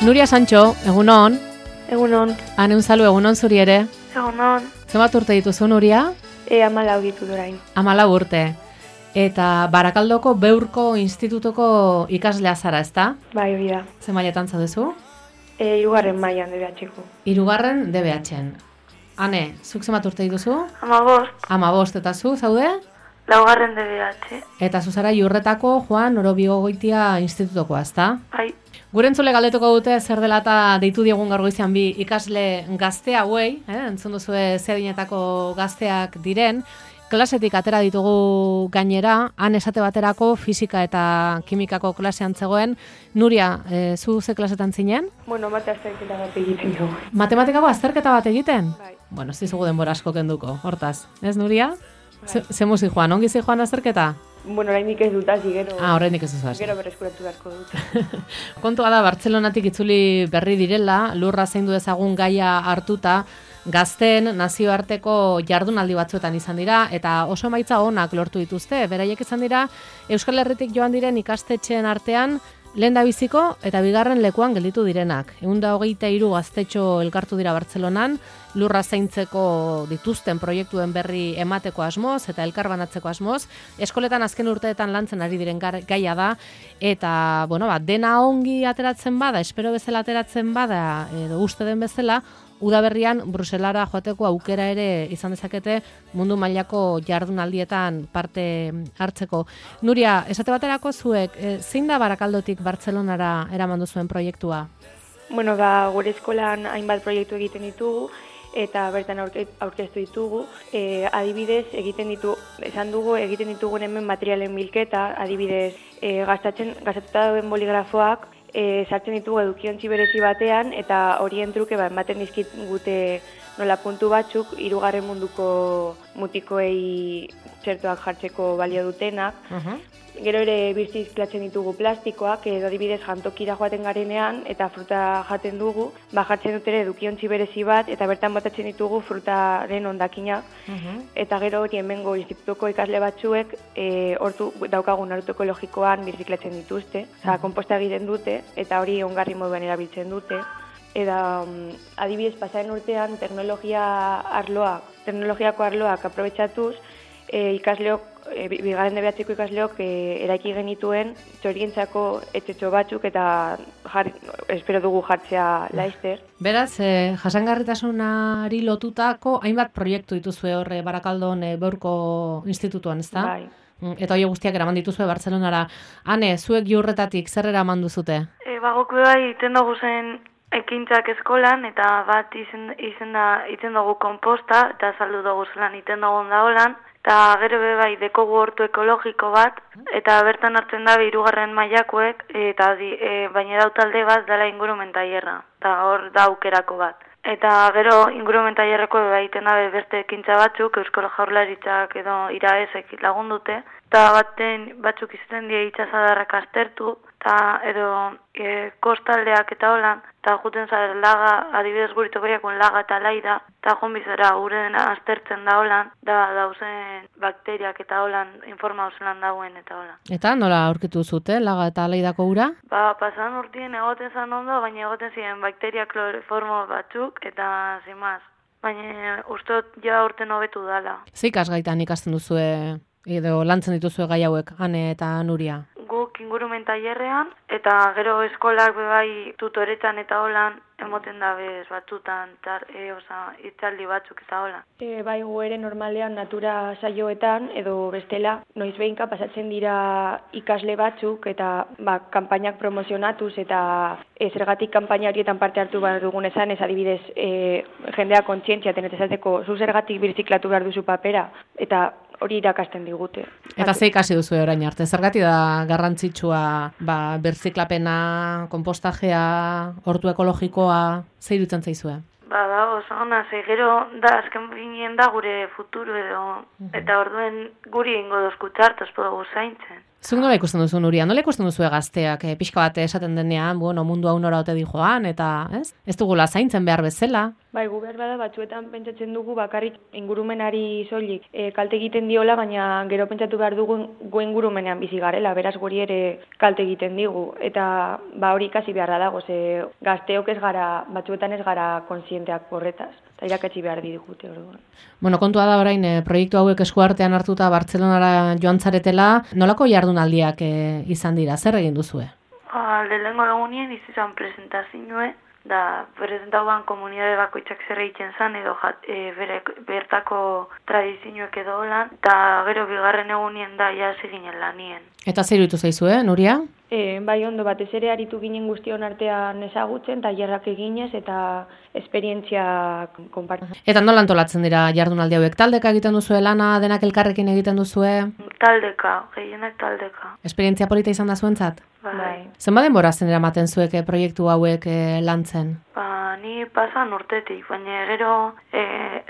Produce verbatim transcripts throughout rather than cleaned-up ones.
Nuria Sancho, egunon. Egunon. Ane unzalu, egunon zuri ere. Egunon. Zenbat urte dituzu, Nuria? E, amalau ditu dorain. Amalau urte. Eta Barakaldoko Beurko Institutuko ikaslea zara, ezta? Bai, hori da. Ze mailetan zaudezu? E, irugarren mailan D B H-ko. Hirugarren D B H-en. Ane, zuk zenbat urte dituzu? Amabost. Amabost, eta zu, zaude? Laugarren D B H. Eta zu zara Iurretako Juan Orobigogoitia Institutokoa, ezta? Bai. Gure entzule galdetuko dute zer dela eta deitu diegun gaur goizean bi ikasle gazte hauei, eh? Entzun duzue ze adinetako gazteak diren, klasetik atera ditugu gainera, han esate baterako fisika eta kimikako klasean zegoen. Nuria, e, zu ze klasetan zinen? Bueno, mate azterketa bat egiten dugu. Matematikako azterketa bat egiten? Bai. Bueno, ez dizugu denbora asko kenduko, hortaz. Ez, Nuria? Bai. Ze, ze muzi joan, ongi zi joan azterketa? Bueno, oraindik ez dut hasi, gero... Ah, oraindik ez duzu hasi. Gero berreskuratu beharko dut. Kontua da, Bartzelonatik itzuli berri direla, lurra zein du ezagun gaia hartuta, gazteen nazioarteko jardunaldi batzuetan izan dira, eta oso emaitza onak lortu dituzte. Beraiek izan dira, Euskal Herritik joan diren ikastetxeen artean, lehen da biziko eta bigarren lekuan gelditu direnak. Ehun eta hogeita hiru gaztetxo elkartu dira Bartzelonan, lurra zaintzeko dituzten proiektuen berri emateko asmoz eta elkarbanatzeko asmoz. Eskoletan azken urteetan lantzen ari diren gaia da, eta bueno, ba, dena ongi ateratzen bada, espero bezala ateratzen bada, edo uste den bezala, udaberrian Bruselara joateko aukera ere izan dezakete mundu mailako jardunaldietan parte hartzeko. Nuria, esate baterako zuek, e, zein da Barakaldotik Bartzelonara eraman duzuen proiektua? Bueno, ba, gure eskolan hainbat proiektu egiten ditugu, eta bertan aurke, aurkeztu ditugu. E, adibidez, egiten ditu, esan dugu, egiten ditugun hemen materialen bilketa, adibidez, e, gastatzen, gastatuta dauden boligrafoak, E, sartzen ditugu edukiontzi berezi batean, eta horien truke ba, ematen dizkit gute nola puntu batzuk, hirugarren munduko mutikoei txertoak jartzeko balio dutenak. Uh-huh. Gero ere birziz klatzen ditugu plastikoak, edo adibidez jantokira joaten garenean, eta fruta jaten dugu, ba, jartzen dut ere edukiontzi berezi bat, eta bertan botatzen ditugu frutaren hondakinak. Uh-huh. Eta gero hori hemengo institutuko ikasle batzuek, e, hortu daukagun ortu ekologikoan birziklatzen dituzte, oza, konposta egiten dute, eta hori ongarri moduan erabiltzen dute. Eta um, adibidez pasaren urtean teknologia arloak, teknologiako arloak aprobetxatuz, e, ikasleok, e, bigarren D B H-ko ikasleok e, eraiki genituen txorientzako etxetxo batzuk eta jar, espero dugu jartzea laizter. Beraz, eh, jasangarritasunari lotutako hainbat proiektu dituzue horre Barakaldon e, Beurko Institutuan, ezta? Bai. Eta hori guztiak eraman dituzue Bartzelonara. Ane, zuek Iurretatik zer eraman duzute? E, Bagoku bai, iten dugu zen ekintzak eskolan, eta bat izen, izen da, iten dugu komposta, eta saldu dugu zelan iten dugu da holan, eta gero be bai dekogu hortu ekologiko bat, eta bertan hartzen da hirugarren mailakoek, eta di, e, baina dau talde bat dela ingurumen tailerra, eta hor da aukerako bat. Eta gero ingurumen tailerreko egiten dabe beste ekintza batzuk, Eusko Jaurlaritzak edo iraezek lagundute, eta baten batzuk izaten die itsasadarrak aztertu, eta edo e, kostaldeak eta holan, eta juten zara laga, adibidez guritokoriakun laga eta laida, eta jonbizera gure dena aztertzen da holan, da dauzen bakteriak eta holan informau zelan dauen eta holan. Eta nola aurkitu zute, laga eta laidako ura? Ba, pasan urtien egoten zan ondo, baina egoten ziren bakteria kloroformo batzuk, eta zimaz. Baina ustot ja urten hobetu dala. Ze ikasgaitan ikasten duzue, edo lantzen dituzue gai hauek, Ane eta Nuria? Guk ingurumen tailerrean, eta gero eskolak bebai tutoretan eta holan, emoten dabez batzutan, tar, e, oza, itzaldi batzuk eta holan. E, bai, gu ere normalean natura saioetan, edo bestela, noiz behinka pasatzen dira ikasle batzuk, eta ba, kanpainak promozionatuz, eta e, zergatik kanpaina horietan parte hartu behar dugun esan, ez adibidez, e, jendea kontzientziaten, eta esateko, zu zergatik birziklatu behar duzu papera, eta hori irakasten digute. Eta ze ikasi duzu orain arte? Zergatik da garrantzitsua ba, berziklapena, konpostajea, hortu ekologikoa, ze iruditzen zaizue? Ba, da, oso ona, ze gero da, azken binien da gure futuro edo, eta orduen guri ingo dozkutzartu, ez podugu zaintzen. Zuk nola ikusten duzu, Nuria? Nola ikusten duzu gazteak? E, pixka bat esaten denean, bueno, mundu hau nora ote di joan, eta ez? Ez dugula zaintzen behar bezala. Bai, gu behar bada batzuetan pentsatzen dugu bakarrik ingurumenari soilik e, kalte egiten diola, baina gero pentsatu behar dugu gu ingurumenean bizi garela, beraz guri ere kalte egiten digu. Eta ba hori ikasi beharra dago, ze gazteok ez gara, batzuetan ez gara kontzienteak horretaz. Eta irakatsi behar digute orduan. Bueno, kontua da orain e, proiektu hauek eskuartean hartuta Bartzelonara joan zaretela, nolako jardunaldiak e, izan dira, zer egin duzue? Ba, lehenengo egunien izan presentazioe, da presentauan komunitate bakoitzak zer egiten zen edo jat, e, bere, bertako tradizioek edo lan, eta gero bigarren egunien da jasi ginen lanien. Eta zer iruditu zaizue, Nuria? E, bai ondo, batez ere aritu ginen guztion artean ezagutzen, tailerrak eginez eta esperientziak konpartitzen. Eta nola antolatzen dira jardunaldi hauek? Taldeka egiten duzue lana, denak elkarrekin egiten duzue? Taldeka, gehienak taldeka. Esperientzia polita izan da zuentzat? Bai. Zenbat denbora zen eramaten zuek proiektu hauek e, lantzen? Ba, ni pasan urtetik, baina gero e,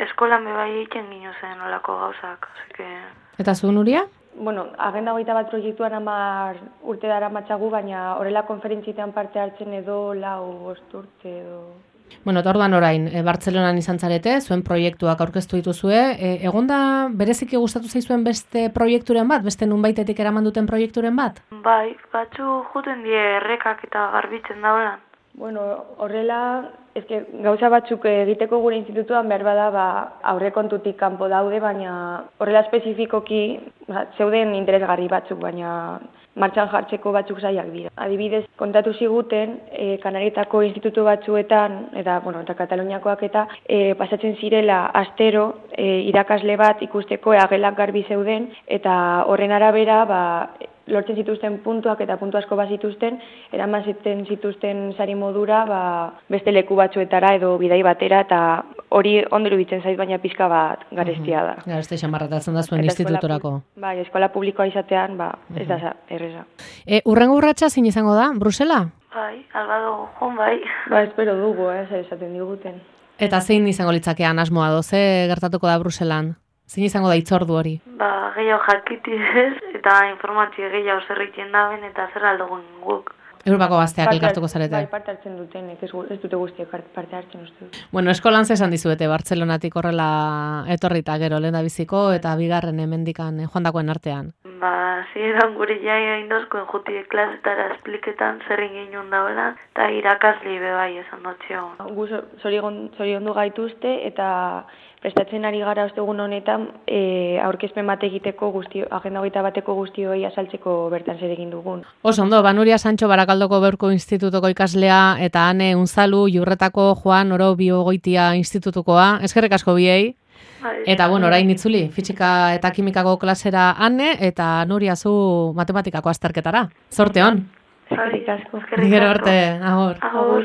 eskolan bebai egiten gino zen olako gauzak. Asike... Eta zu, Nuria? Bueno, agenda hogeita bat proiektuan hamar urte dara matxagu, baina horrela konferentzietan parte hartzen edo lau bost urte edo... Bueno, eta orduan orain, e, Bartzelonan izan zarete, zuen proiektuak aurkeztu dituzue. E, egon da bereziki gustatu zaizuen beste proiekturen bat, beste nunbaitetik eraman duten proiekturen bat? Bai, batzu juten die errekak eta garbitzen daulan. Bueno, horrela, ezke, gauza batzuk egiteko gure institutuan behar bada ba, aurrekontutik kanpo daude, baina horrela espezifikoki ba, zeuden interesgarri batzuk, baina martxan jartzeko batzuk zailak dira. Adibidez, kontatu ziguten, e, Kanarietako institutu batzuetan, eta, bueno, eta Kataluniakoak eta e, pasatzen zirela astero e, irakasle bat ikusteko eagelak garbi zeuden, eta horren arabera, ba, lortzen zituzten puntuak eta puntu asko bazituzten, eraman ziten zituzten sari modura ba, beste leku batzuetara edo bidai batera, eta hori ondo iruditzen zait, baina pixka bat garestia da. Uh-huh. Garestia xamarratatzen da zuen institutorako. Bai, eskola publikoa izatean, ba, ez da uh-huh. erreza. E, urrengo urratsa zein izango da, Brusela? Bai, albado joan bai. Ba, espero dugu, eh, zer esaten diguten. Eta zein izango litzakean asmoa do, ze gertatuko da Bruselan? Zein izango da itzordu hori? Ba, gehiago jakitidez eta informazio gehiago zer egiten daben eta zer aldugun guk. Europako gazteak elkartuko zarete. Bai, parte hartzen duten, ez, ez dute guztiak parte hartzen uste. Bueno, eskolan zesan dizuete, Bartzelonatik horrela etorrita gero lehen da biziko eta bigarren hemendikan joandakoen artean. Ba, ziren gure jaia indozkoen juti klasetara espliketan zer ingin daula eta irakasli bebai esan dutxio. Gu zoriondu gaituzte eta prestatzen ari gara ostegun honetan e, aurkezpen bat egiteko guztio, agenda hogeita bateko guztioi azaltzeko bertan zer egin dugun. Oso ondo, Nuria Sancho Barakaldoko Beurko Institutuko ikaslea eta Ane Unzalu Jurretako Juan Oro Biogoitia Institutukoa. Eskerrik asko biei. Eta bueno, orain itzuli, fisika eta kimikako klasera Ane eta Nuria zu matematikako azterketara. Zorte on. Eskerrik asko. Gero arte, agor. Agor.